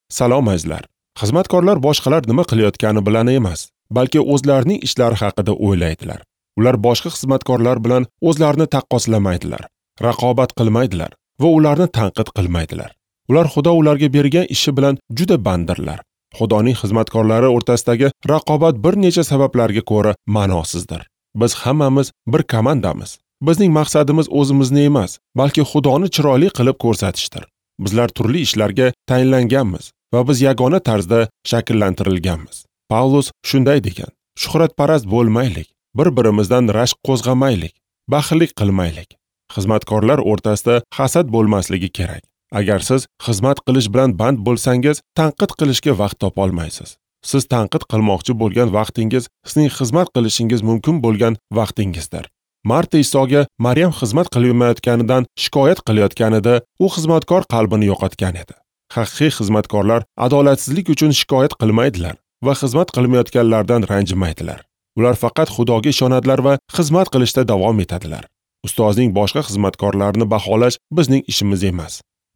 Salom azizlar. Xizmatkorlar boshqalar nima qilayotgani bilan emas, balki o'zlarining ishlari haqida o'ylaydilar. Ular boshqa xizmatkorlar bilan o'zlarini taqqoslamaydilar, raqobat qilmaydilar va ularni tanqid qilmaydilar. Ular Xudo ularga bergan ishi bilan juda banddirlar. Xudoning xizmatkorlari o'rtasidagi raqobat bir necha sabablarga ko'ra ma'nosizdir. Biz hammamiz bir komandamiz. Bizning maqsadimiz o'zimizni emas, balki Xudoni chiroyli qilib ko'rsatishdir. Bizlar turli ishlarga tayinlanganmiz va biz yagona tarzda shakllantirilganmiz. Pavlus shunday degan: shuhratparast bo'lmaylik, bir-birimizdan rashk qo'zg'amaylik, baxillik qilmaylik. Xizmatkorlar o'rtasida hasad bo'lmasligi kerak. Agar siz xizmat qilish bilan band bo'lsangiz, tanqid qilishga vaqt topa olmaysiz. Siz tanqid qilmoqchi bo'lgan vaqtingiz sizning xizmat qilishingiz mumkin bo'lgan vaqtingizdir. Marta Isoga Maryam xizmat qilmayotganidan shikoyat qilayotganida, u xizmatkor qalbini yo'qotgan edi. Haqiqiy xizmatkorlar adolatsizlik uchun shikoyat qilmaydilar va xizmat qilmayotganlardan ranjimaydilar. Ular faqat Xudoga ishonadilar va xizmat qilishda davom etadilar. Ustozning boshqa xizmatkorlarini baholash bizning ishimiz emas.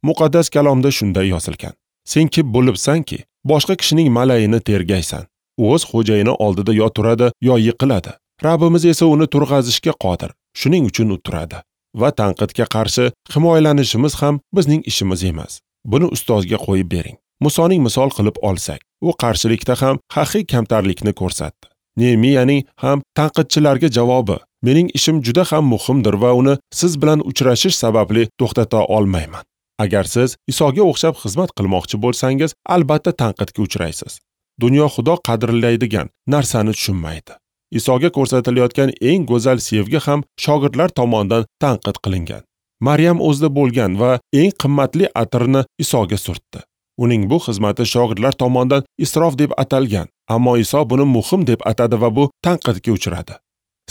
Muqaddas kalomda shunday yozilgan: Sen kim bo'libsanki, boshqa kishining malayini tergaysan. O'z xo'jayini oldida yo turadi, yo yiqiladi. Rabbimiz esa uni turg'azishga qodir. Shuning uchun u turadi. Va tanqidga qarshi himoyalanishimiz ham bizning ishimiz emas. Buni ustozga qo'yib bering. Musoning misol qilib olsak, u qarshilikda ham haqiqiy kamtarlikni ko'rsatdi. Nehemiyaning ham tanqidchilarga javobi: mening ishim juda ham muhimdir va uni siz bilan uchrashish sababli to'xtata olmayman. Agar siz Isoga o'xshab xizmat qilmoqchi bo'lsangiz, albatta tanqidga uchraysiz. Dunyo Xudo qadrlaydigan narsani tushunmaydi. Isoga ko'rsatilayotgan eng go'zal sevgi ham shogirdlar tomonidan tanqid qilingan. Maryam o'zida bo'lgan va eng qimmatli atirni Isoga surtdi. Uning bu xizmati shogirdlar tomonidan isrof deb atalgan, ammo Iso buni muhim deb atadi va bu tanqidga uchradi.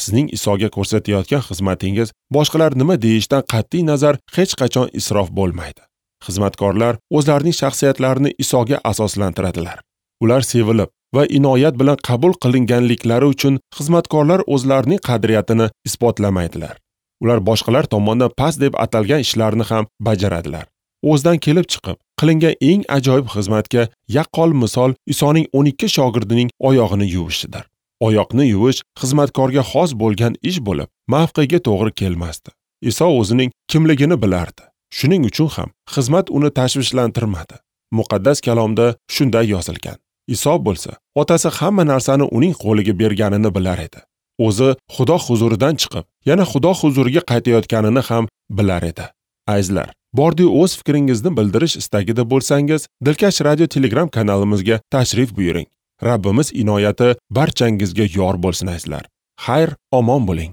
Sizning Isoga ko'rsatayotgan xizmatingiz boshqalar nima deyishidan qat'iy nazar hech qachon isrof bo'lmaydi. Xizmatkorlar o'zlarining shaxsiyatlarini Isoga asoslantiradilar. Ular sevilib va inoyat bilan qabul qilinganliklari uchun xizmatkorlar o'zlarining qadriyatini isbotlamaydilar. Ular boshqalar tomonidan past deb atalgan ishlarni ham bajaradilar. O'zidan kelib chiqib, qilingan eng ajoyib xizmatga yaqqol misol Isoning 12 shogirdining oyog'ini yuvishidir. Oyoqni yuvish xizmatkorga xos bo'lgan ish bo'lib, mavqega to'g'ri kelmasdi. Iso o'zining kimligini bilardi. Shuning uchun ham xizmat uni tashvishlantirmadi. Muqaddas kalomda shunday yozilgan: Iso bo'lsa, otasi hamma narsani uning qo'liga berganini bilar edi. O'zi Xudo huzuridan chiqib, yana Xudo huzuriga qaytayotganini ham bilar edi. Azizlar, bordi o'z fikringizni bildirish istagida bo'lsangiz, Dilkash radio Telegram kanalimizga tashrif buyuring. Rabbimiz inoyati barchangizga yor bo'lsin azizlar. Xayr, omon bo'ling.